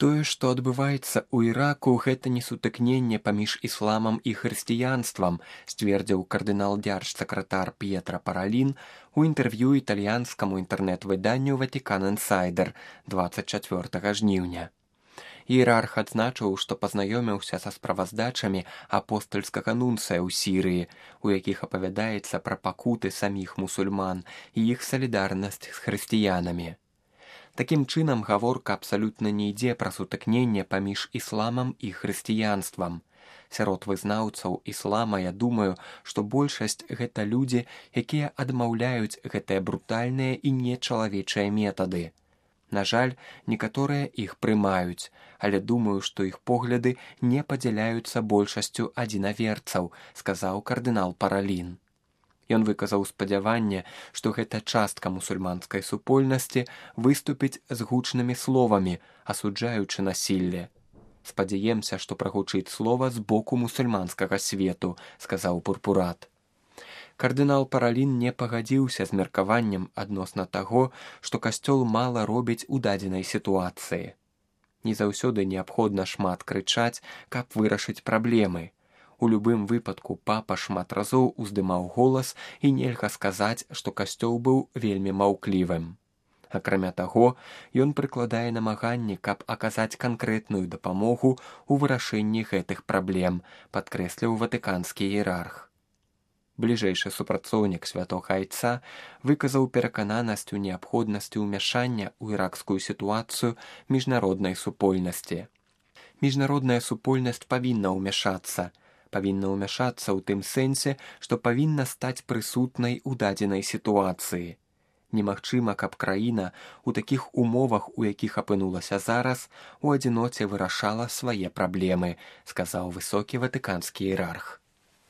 Тое, што адбываецца ў Іраку, гэта не сутыкненне паміж ісламам і хрысціянствам, сцвердзіў кардынал-дзяржсакратар П'етра Паралін у інтэрв'ю італьянскаму інтэрнэт-выданню «Ватикан Інсайдер» 24 жніўня. Іерарх адзначыў, што пазнаёміўся са справаздачамі апостальскага нунцыя ў Сірыі, у якіх апавядаецца пра пакуты саміх мусульман і іх салідарнасць з хрысціянамі. Такім чынам, гаворка абсалютна не ідзе пра сутыкненне паміж ісламам і хрысціянствам. Сярод вызнаўцаў іслама я думаю, што большасць гэта людзі, якія адмаўляюць гэтыя брутальныя і нечалавечыя метады. На жаль, некаторыя іх прымаюць, але думаю, што іх погляды не падзяляюцца большасцю адзінаверцаў, сказаў кардынал Паралін. Ён выказаў спадзяванне, што гэта частка мусульманскай супольнасці выступіць з гучнымі словамі, асуджаючы насілле. «Спадзяемся, што прагучыць слова з боку мусульманскага свету», сказаў пурпурат. Кардынал Паралін не пагадзіўся з меркаваннем адносна таго, што касцёл мала робіць у дадзенай сітуацыі. Не заўсёды неабходна шмат крычаць, каб вырашыць праблемы. У любым выпадку папа шмат разоў уздымаў голас і нельга сказаць, што касцёл быў вельмі маўклівым. Акрамя таго, ён прыкладае намаганні, каб аказаць канкрэтную дапамогу ў вырашэнні гэтых праблем, падкрэсліў ватыканскі іерарх. Бліжэйшы супрацоўнік святога айца выказаў перакананасць у неабходнасці ўмяшання ў іракскую сітуацыю міжнароднай супольнасці. Міжнародная супольнасць павінна ўмяшацца ў тым сэнсе, што павінна стаць прысутнай у дадзенай сітуацыі. Немагчыма, каб краіна ў такіх умовах, у якіх апынулася зараз, у адзіноце вырашала свае праблемы, сказаў высокі ватыканскі іерарх.